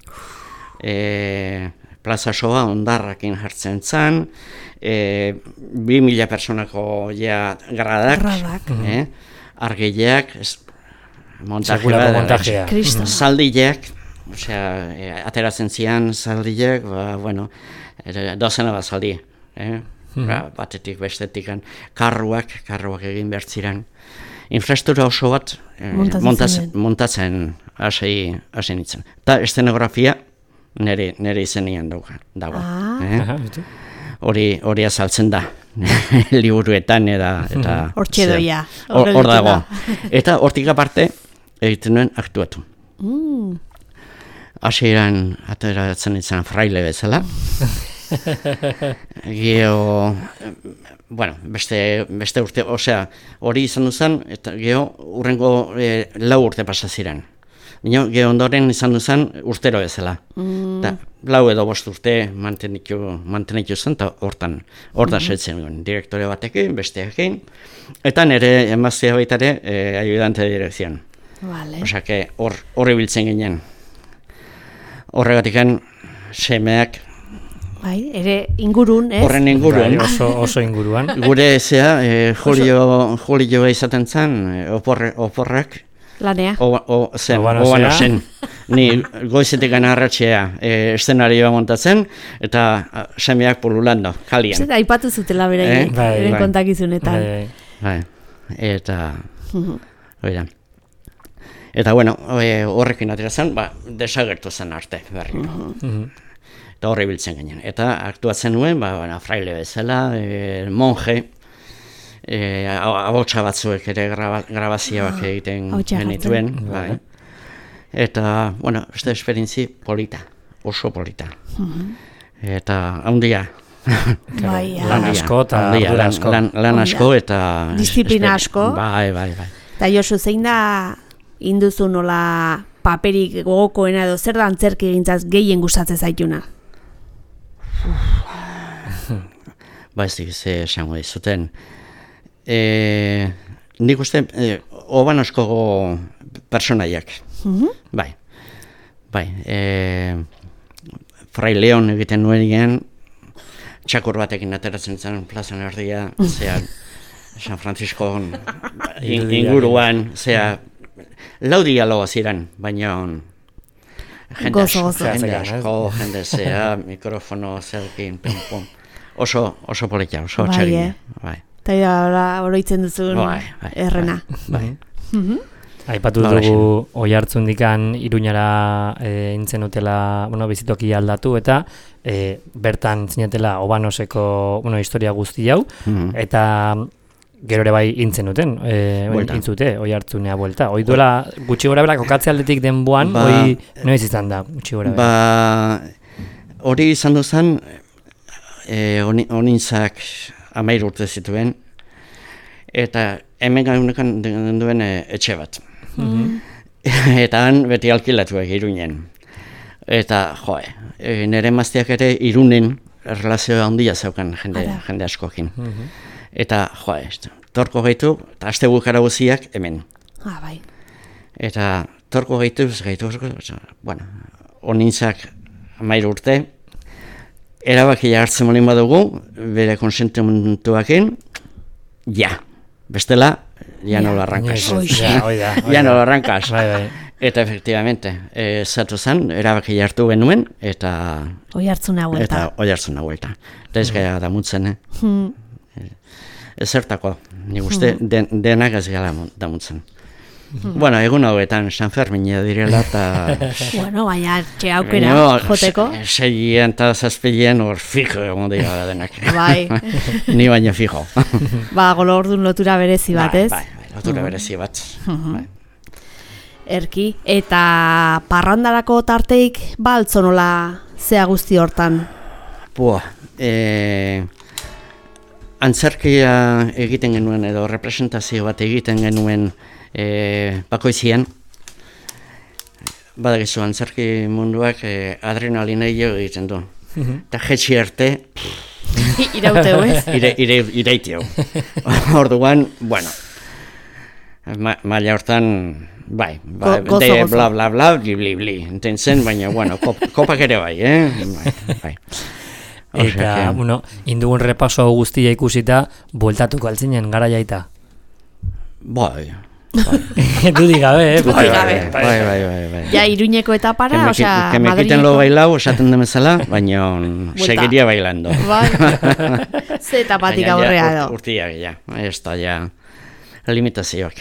E, plaza osoa ondarrakin jartzen zen, e, bi mila personako ja gradak, Gradak. eh? Argileak, montaje Sekulako bat, montajea. Kristo. zaldileak, osea, e, ateratzen zian zaldileak, ba, bueno, e, dozena bat zaldi, eh? Ba, batetik bestetik, karruak, karruak egin behar ziren. Infrastruktura oso bat eh, Montatzen montatzen, ziren. montatzen hasi hasi nintzen. Eta eszenografia nire, nire izenian dauka, dago. Ah. Eh? Aha, bitu. Hori hori azaltzen da liburuetan eta eta Hortxe zer, doia, Hor hor hor dago. gelditu Eta hortik aparte egiten nuen aktuatu. Mm. Hasieran ateratzen nintzen fraile bezala. Geo, bueno, beste, beste urte, osea, hori izan duzan, eta geo urrengo e, lau urte pasa ziren. Bino, geo ondoren izan duzan urtero bezala. Mm. Ta, lau edo bost urte mantenitu, mantenitu zen, eta hortan, hortan Mm-hmm. setzen duen, direktore batekin, besteekin, eta nire emaztea baita ere, e, ayudante de dirección. Vale. Osea, que hor, hor ibiltzen ginen. Horregatikan, semeak, Bai, ere ingurun, ez? horren inguruan, Bai, oso, oso inguruan. gure zea, e, Julio, Julio izaten zen, e, oporre, oporrak, Lanea. o, o, zen, Obanozea. obano zen. Ni goizetik gana arratxea e, eszenarioa montatzen, eta a, semeak pululando, kalian. Zer, aipatu zutela beraiek, Eh? Bai, beren bai. kontakizunetan. Bai, Bai, eta, Mhm. oida. Eta bueno, e, horrekin atera zen, ba, desagertu zen arte, berriro. mhm. Eta horre biltzen ginen. Eta aktuatzen nuen, ba, bueno, fraile bezala, e, monje, e, abotsa batzuek ere graba, grabazioak egiten ahotsa genituen. jartzen. Bai. Eta, bueno, beste esperientzi polita, oso polita. Eta handia. Bai, Lan ah. asko eta handia, ardura lan, asko. lan, lan asko eta... Disiplina esperi- asko. Bai, bai, bai. Eta Josu, zein da induzu nola paperik gogokoena edo zer da antzerki egintzaz gehien gustatzen zaituna? Ba ez dik, ze esango dizuten. E, nik uste, e, oban asko personaiak. Bai, bai. E, Fray Leon egiten nuen egin, txakur batekin ateratzen zen plazan erdia, zea, San Francisco in, inguruan, zea, lau dialogo ziren, baina jende Gozo, asko, gozo. jende Zehatzen, asko, jende zea, mikrofono zelkin, pum, pum. Oso, oso polita, oso Bai, txarina. eh? Bai, Eta ora oroitzen duzun Bai, bai, errena. bai. Aipatu Ba, dugu oi hartzundikan Iruñara e, intzen utela, bueno, bizitoki aldatu eta e, bertan zinetela Obanoseko, bueno, historia guzti hau, Mhm. eta gero ere bai intzen duten, e, Buelta. intzute, oi hartzunea buelta. Oi duela gutxi gora bera kokatze aldetik denboan, Ba, oi noiz izan da gutxi gora bera. Ba, hori izan duzan, e, onintzak amair urte zituen, eta hemen gaunekan duen e, etxe bat. Eta han beti alkilatuak Iruñen. Eta, joe, e, nire emazteak ere Irunen relazioa handia zeukan jende, Ara. jende askokin. Eta, joe, torko gaitu, eta aste bukara guziak hemen. Ah, bai. Eta torko gaitu, gaitu, bueno, onintzak amair urte, erabakia hartzen molin badugu, bere konsentimentuakin, ja, bestela, ja no lo arrancas. Oi. Ja, oi da, oi Ja no da. lo arrancas. Bai, bai. Eta efectivamente, eh, zatu zen, erabakia hartu genuen, eta Oi hartzuna eta huelta. oi hartzen huelta. Eta ez gara damutzen, eh? Hmm. Ezertako, nik uste den, denak ez gara damutzen. Bueno, egun hauetan San Fermina direla eta... Bueno, baina txe aukera Baina, joteko. se- Seien eta zazpilien hor fijo egon dira denak. Bai. Ni baina fijo. Ba, golo ordun lotura berezi bat, Bai, ez? bai, bai, lotura berezi bat. Bai. Erki. Eta parrandarako tarteik baltzonola zea guzti hortan. Pua, e, antzerkia egiten genuen edo representazio bat egiten genuen e, bakoizian, badakizu antzerki munduak e, adrenalina egiten du. Eta jetxi arte, Irauteu, ez? ire, ire, ireitio. Orduan, bueno, ma, maila hortan, bai, bai Go, gozo, de gozo. bla, bla, bla, bli, bli, bli, ententzen, baina, bueno, kop, kopak ere bai, eh? Bai, bai. Osea Eta, que- bueno, indugun repaso hau guztia ikusita, bueltatuko altzinen gara jaita. Bai, Dudik gabe, eh? bai, bai, gabe. bai, bai, bai, bai, bai. Ja, Iruñeko etapara, Que me, osea, que me quiten lo bailao, esaten demezala, baina Buelta. seguiría bailando. Bai, ze etapatik Baina ja, aurrea urt- edo. Urtiak, ja, ez da, ja, limitazioak.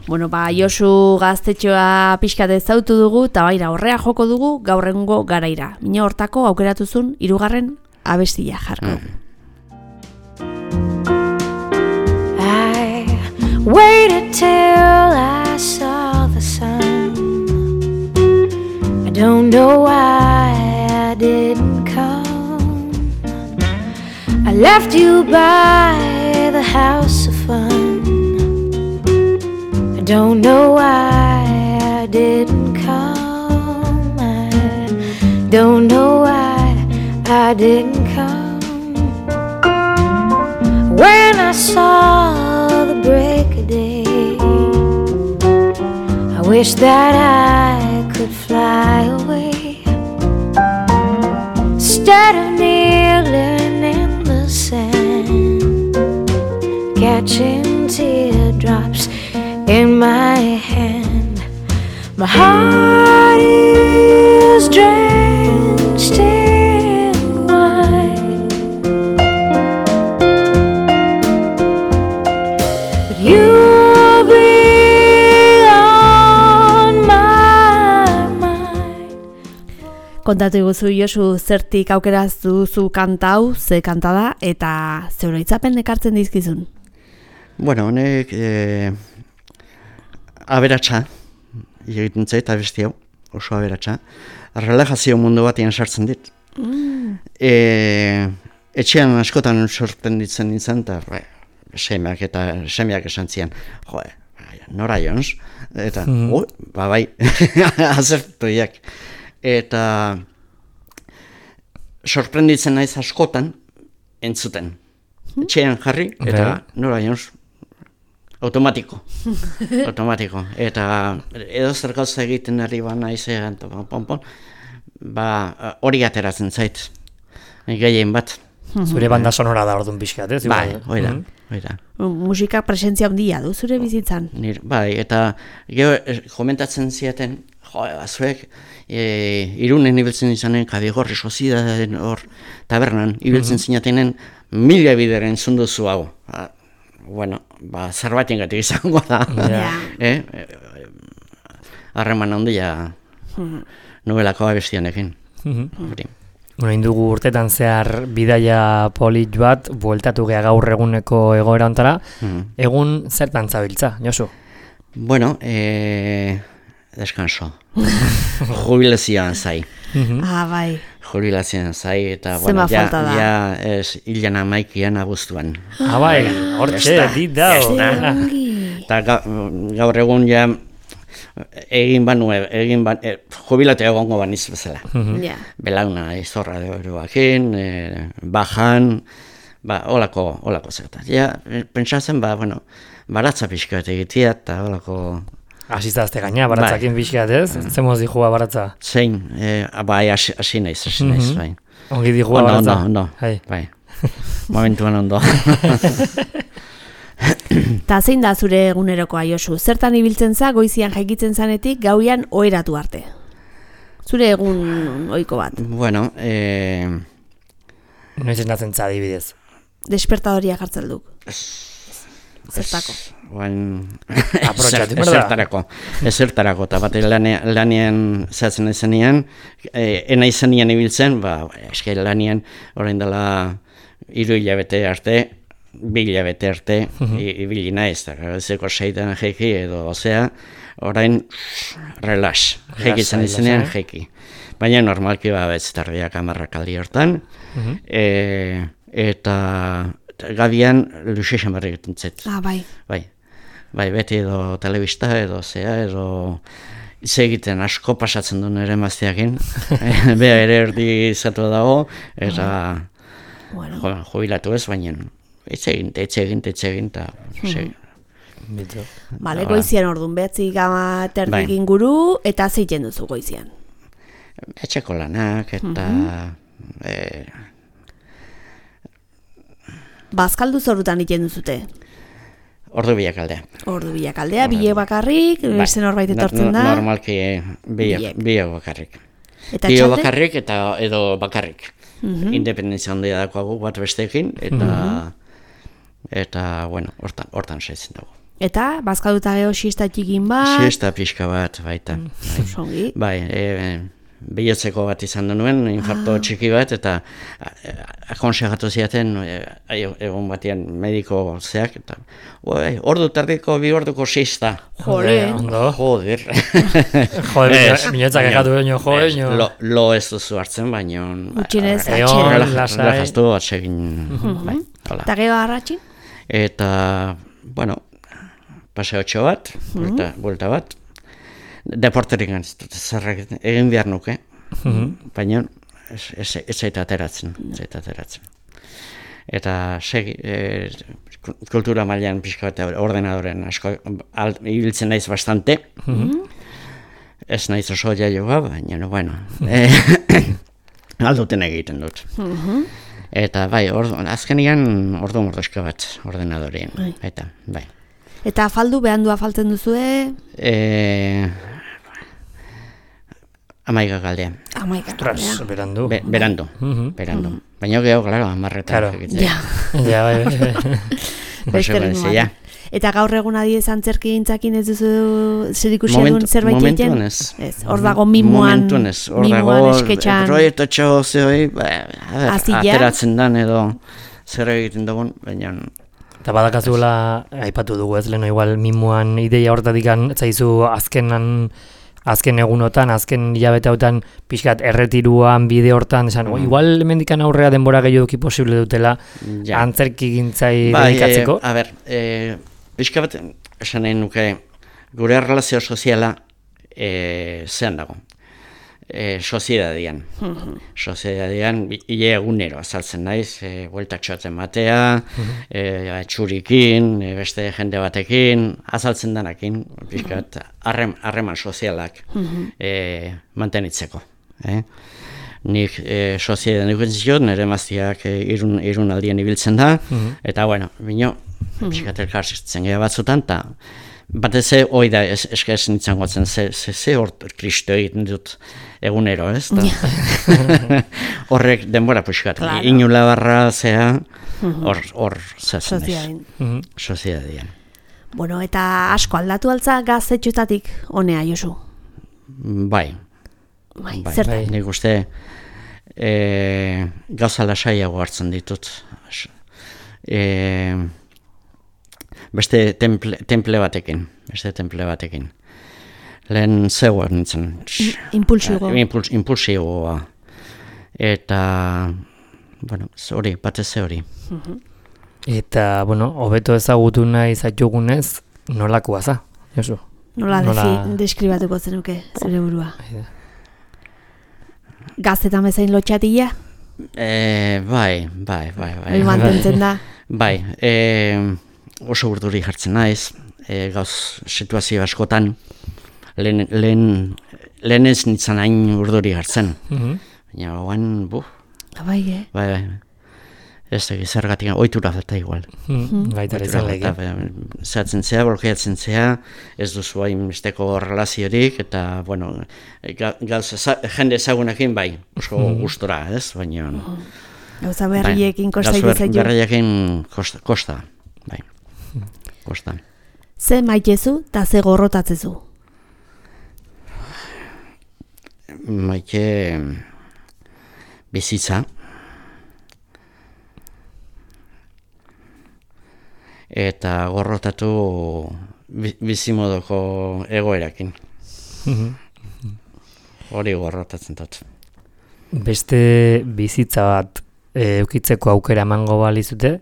Bueno, ba, Josu gaztetxoa pixkat ezautu dugu, eta baira horrea joko dugu gaurrengo garaira. Mina hortako aukeratuzun hirugarren abestia jarko. I waited till I saw the sun. I don't know why I didn't come. I left you by the house of fun. I don't know why I didn't come. I don't know why I didn't come. When I saw the break of day, I wish that I could fly away instead of kneeling in the sand, catching teardrops in my hand. My heart is drenched in wine, but you'll be on my mind. Kontatu iguzu, Josu, zertik aukeraz duzu kanta hau, ze kanta da, eta zeuro itzapen ekartzen dizkizun. Bueno, honek eh, aberatsa, egiten zait abesti hau, oso aberatsa. Relajazio mundu batean sartzen dit. Mm. E, etxean askotan sorprenditzen nintzen, eta bai, semeak eta semeak esan zian, jo, nora jons? Eta, mm. oh, ba bai, azertuiak. Eta sorprenditzen naiz askotan entzuten. Etxean jarri, eta Bai. nora jons? Automatiko. Automatiko. Eta edo zer gauza egiten ari ba naizean, eta pon, pon, pon, ba hori ateratzen zait. Gehien bat. Zure banda sonora da orduan pixkat, ez? Bai, Igual. hori da, Mhm. hori da. Musika presentzia handia du zure bizitzan. Nir, bai, eta gero eh, komentatzen ziaten, jo, zuek, e, Irunen ibiltzen izanen, Kabigorri Sozidaden hor tabernan, ibiltzen zinatenen, mila bideren zunduzu hau. Ba, bueno, ba, zerbaiten gatik izango da. Ja. Eh? eh, Harreman handia nobelako abestianekin. Mhm. Hori. Bueno, indugu urtetan zehar bidaia polit bat, bueltatu gea gaur eguneko egoera ontara. Mhm. Egun zertan zabiltza, Josu? Bueno, eh, descanso. Jubilazioan zai. Ah, bai. Jubilazioan zai, eta Zenbat bueno, ja, falta da? ja ez hilan amaikian abuztuan. Ah, bai, hortxe, dit dao. Eta ga, gaur egun ja egin banu, egin ban, e, jubilate egongo baniz bezala. Ja. Belauna izorra de oroakin, e, bajan, ba, olako, olako zertat. Ja, e, pentsatzen, ba, bueno, baratza pixka bat egitea, eta olako Asizazte gaina, baratzakin pixkat, ez? Zemoz dijua baratza. zein, e, bai, hasi hasi naiz, hasi naiz, Mhm. bai. Ongi dijua Ondo, baratza. ondo, ondo, Hai. bai. Momentuan ondo. Ta zein da zure egunerokoa, Josu? Zertan ibiltzen za goizian jaikitzen zanetik gauian oheratu arte? Zure egun ohiko bat. Bueno, e, Noiz esnatzen za adibidez. Despertadoria jartzen duk. Zertako. Oain, Aprotxatu, ezer- berda? ezertarako, ezertarako, eta bat lanean, lanean zehatzen izenean, e, ena izenean ibiltzen, ba, eske lanean, orain dela hiru hilabete arte, bi hilabete arte, i- ibili naiz, eta gazeko seitan jeiki edo, osea, orain, relax, jeikitzen Lasai, izenean lasai. jeiki. Baina normalki ba, ez tardiak amarrak aldi hortan, e, eta gabian luxe xamarri egiten zait. Ah, bai. Bai, bai, beti edo telebista edo zea, edo hitz egiten asko pasatzen du nire emazteakin. Bea ere erdi izatu dago, eta Bueno. jo, jubilatu ez, baina hitz egin, hitz egin, hitz egin, eta segi. Bale, goizian orduan, behatzi gama terdik Bai. inguru, eta zeiten duzu goizian. Etxeko lanak, eta eh, Bazkaldu zorutan egiten duzute. ordu biak aldea. Ordu bilak aldea, bile bakarrik, beste norbait etortzen da. Normalki Biek. biak bakarrik. Eta Bio txalde? bakarrik eta edo bakarrik. Independentzia handia dakoagu bat besteekin, eta eta, bueno, hortan, hortan saitzen dago. Eta, bazkalduta geho siesta txikin bat. Siesta pixka bat, baita. Bai. Zongi. Bai, e, bihotzeko bat izan da nuen, infarto txiki bat, eta akonsegatu ziaten, e, egun batean mediko zeak, eta oi, ordu tardiko, bi orduko siesta. Jole. Ondo. Joder. Joder, Ez, minoetzak baina- egatu baino, jo, ez, baino. Lo, lo ez duzu hartzen, baina... Gutxienez, Egon, atxera. la- lasai. Relajaztu atsegin, bai, hola. Eta geho arratxin? Eta, bueno, paseotxo bat, buelta, buelta bat, deporterik zer egin behar nuke, baina ez, ez, ez zaita ateratzen, ez zaita ateratzen. Eta segi, e, kultura mailan pixka bat ordenadoren asko, al, ibiltzen naiz bastante, ez naiz oso jaioa, baina, no, bueno, e, alduten egiten dut. Eta bai, ordu, azkenian ordu mordoska bat ordenadoreen, eta bai. Eta afaldu, behandu afaltzen duzue? E, amaiga galdea, Amaika. Ostras, berandu. Be, berandu, berandu. Baina geho, claro, amarretan. Claro. egitea. Ja, Ja, bai, bai, bai. beste Oso ritmoan. ja. Eta gaur egun adiez antzerki gintzakin ez duzu zerikusia Momentu- duen zerbait egiten? momentuan ez. Ez, hor dago mimuan, Momentuan ez, hor mimuan dago esketxan. proiektotxo zehoi, ba, a ber, Azila? ateratzen dan edo zer egiten dugun, baina Eta badakazuela, aipatu dugu ez, leheno igual mimuan ideia hortatik zaizu azkenan, azken egunotan, azken hilabete hautan pixkat erretiruan, bide hortan, esan, Mm. igual hemendikan aurrea denbora gehiagoki posible dutela ja. antzerki gintzai Bai, dedikatzeko. eh, a ber, e, pixka bat, esan nahi nuke, gure relazio soziala e, zean dago. E, soziedadian. Soziedadian, hile egunero azaltzen naiz, e, bueltatxo atzen batea, e, atxurikin, e, beste jende batekin, azaltzen danakin, pixkat, harrem, harreman sozialak e, mantenitzeko. Eh? Nik e, soziedan duken ziot, nire maztiak e, irun, irun aldien ibiltzen da, eta bueno, bino, pixkat elkarzitzen geha batzutan, eta batez ze hoi da es, eskaz nintzen gotzen, ze, ze, ze hor kristo egiten dut egunero, ez? Da? Horrek denbora pixkat, Claro. inula barra zea, hor, hor zazen ez. Soziadin. Soziedadian. Bueno, eta asko aldatu altza gaztetxoetatik honea, Josu. Bai, Bai, bai, zertan? bai. Nik uste e, gauza lasaiago hartzen ditut. As- E, beste temple, temple batekin, beste temple batekin. Lehen zegoa nintzen. Impulsigo. Impuls, impulsigoa. Eta, bueno, ze hori, batez ze hori. Eta, bueno, hobeto ezagutu nahi zaitugunez, nolakoa za, Josu? Nola, Nola- Defi, deskribatuko zenuke zure burua? Gaztetan bezain lotxatila? E, bai, bai, bai, bai. Hori mantentzen da? Bai, e, oso urduri jartzen naiz, e, gauz situazio askotan, lehen, lehen, lehen ez nintzen hain urduri jartzen. Mhm. Baina, oan, buf, Bai, eh? bai, bai, ez da zergatik, oitura falta igual. Mhm. Baita ere izan lege. Zehatzen zea, blokeatzen zea, ez duzu hain besteko relaziorik, eta, bueno, ga- gauz, eza- jende ezagunekin bai, oso gustora, ez, baina... Gauza berriekin bai, kosta gauza ber- egizaitu. berriekin kosta, kosta, bai, kosta. Ze maitezu eta ze gorrotatzezu? Maite bizitza, eta gorrotatu bi- bizimodoko egoerakin. Hori gorrotatzen dut. Beste bizitza bat e, eukitzeko aukera emango balizute,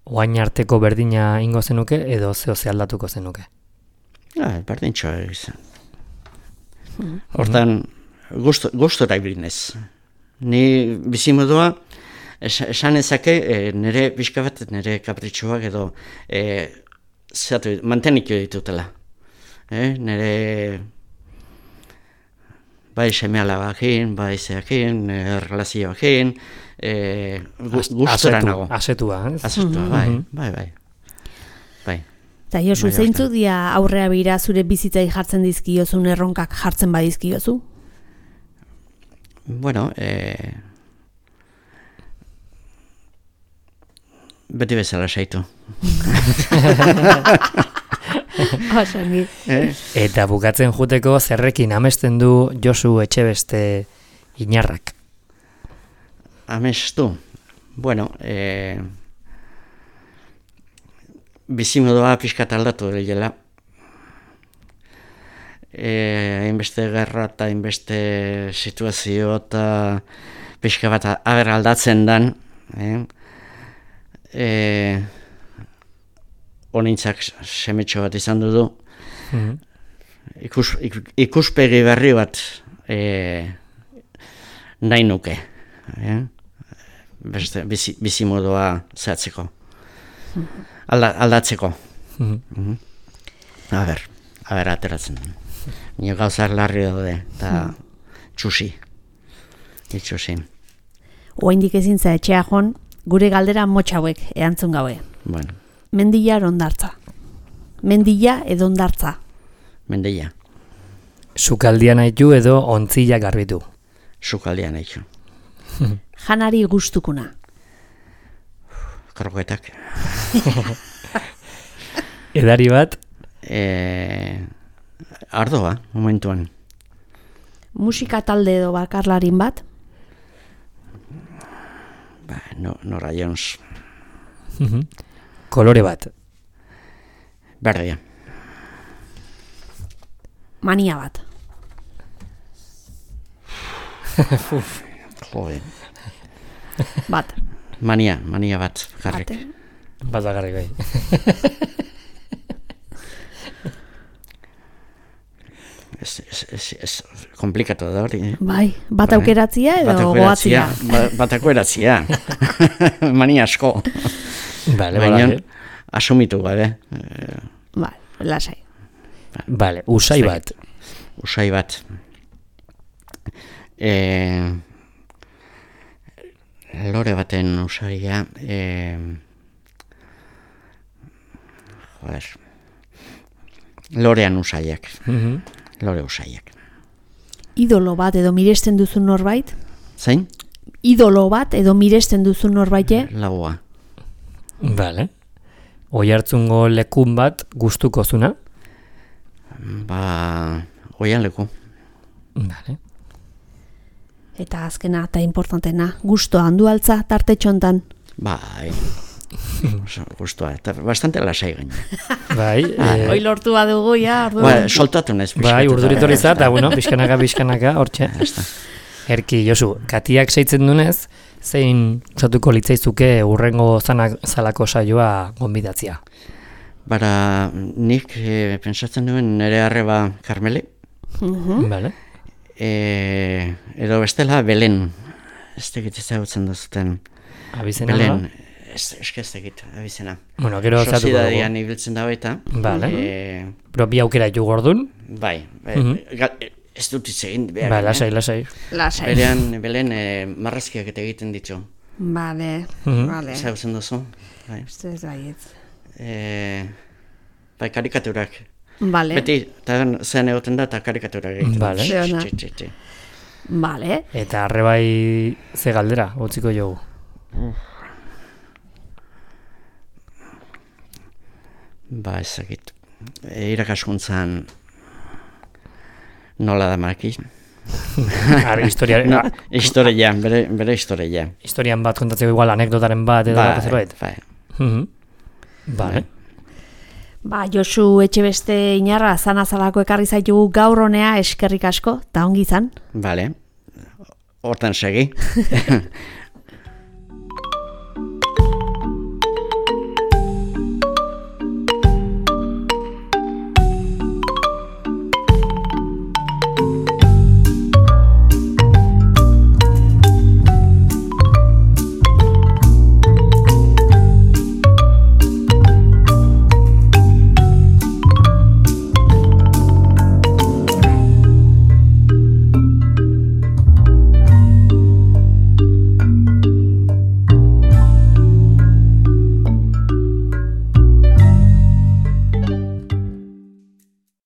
oain arteko berdina ingo zenuke edo zeo ze aldatuko zenuke? Ah, berdintxo izan. Hortan, gustora ibilinez. Ni bizimodua, esan ezake, e, nire pixka bat, nire kapritxoak edo e, zatu, mantenik ditutela. E, nire bai seme-alabakin, bai zeakin, e, relazioakin, e, gustora nago. Asetua, ez? Asetua, bai, bai, bai. Bai. Eta Josu, zeintzuk dia aurrea bira zure bizitzai jartzen dizkiozun erronkak jartzen badizkiozu? Bueno, eh, beti bezala saitu. Osangi. eh? Eta bukatzen juteko zerrekin amesten du Josu Etxebeste Inarrak? Amestu. Bueno, eh, bizimodua pixkat aldatu dela. Hainbeste gerra eta hainbeste situazio eta pixka bat aber aldatzen dan. Eh? E, Honintzak semetxo bat izan du du. Mm-hmm. Ikus, ik, ikuspegi berri bat e, nahi nuke. Eh? Beste, bizi, bizimodua zehatzeko. Mm-hmm. Alda, aldatzeko. Mm-hmm. Mm-hmm. A ber, a ber, ateratzen. Nio gauzak larri daude, eta txusi. Itxusi. Oaindik ezin za etxea jon, gure galdera motxauek erantzun gabe. Bueno. Mendia ondartza. Mendia edo ondartza. Mendia. Sukaldia nahitu edo ontzila garbitu? Sukaldia nahitu. Janari gustukuna. Kroketak. Edari bat? Eh, ardoa, momentuan. Musika talde edo bakarlarin bat? Ba, no, Nora Jones. Kolore bat? Berdea. Mania bat? Jode. Bat. Mania, mania bat, garrik. Bat bakarrik bai. Ez, ez, ez, ez, komplikatu da hori. Eh? Bai, bat aukeratzia edo goatzia? Bat aukeratzia. Mania asko. Vale, baina, vale. Asumitu gabe. Bai, lasai. Vale, usai bat. Usai bat. Eh, lore baten usaia. Eh, joder. Lorean usaiak. Mhm. Lore usaiak. Idolo bat edo miresten duzun norbait? Zain? Idolo bat edo miresten duzun norbaite? Lagoa. Vale. Oihartzungo lekun bat gustuko zuna? Ba, oian leku. Vale. Eta azkena eta importantena, gustoa handu altza tarte txontan? Bai. Gustua, eta bastante lasai gaina. Bai. Eh, Hoi lortu badugu, ja, orduan. Ba, soltatu nez. Bai, urduritorri za, eta bueno, pixkanaka, pixkanaka, hortxe. Erki, Josu, katiak seitzen dunez, zein usatuko litzaizuke urrengo zanak zalako saioa gonbidatzia? Bara, nik e, pentsatzen duen nire arreba Karmeli. Uh-huh. Vale. E, edo bestela Belen. Ez tegit ezagutzen duzuten. Abizena Belen. da? Ez, eske ez tegit, abizena. Bueno, gero zatuko dugu. Sozidadian ibiltzen da baita. Vale. E, Pero bi aukera ju gordun? bai. bai Mhm. gal, ez dut hitz egin behar. Bai, lasai, lasai. Lasai. Berean, Belen e, marrazkiak eta egiten ditu. Vale, Mhm. vale. Ezagutzen duzu. Bai. Uste ez baietz. E, bai, karikaturak. Vale. Beti, eta zean egoten da, eta karikaturak egiten. Vale. Tx, Zeona. tx, tx, tx. Vale. Eta arrebai ze galdera, utziko jogu. Ba, ezagit. E, irakaskuntzan nola da maki? Ar, historia, No, a- historia, bere, bere historia. historian bat kontatzeko igual anekdotaren bat edo bat zerbait. bai. Mhm. Vale. Ba, Josu Etxebeste Inarra zanazalako ekarri zaitugu gaur honea eskerrik asko, eta ongi izan. Vale. Hortan segi.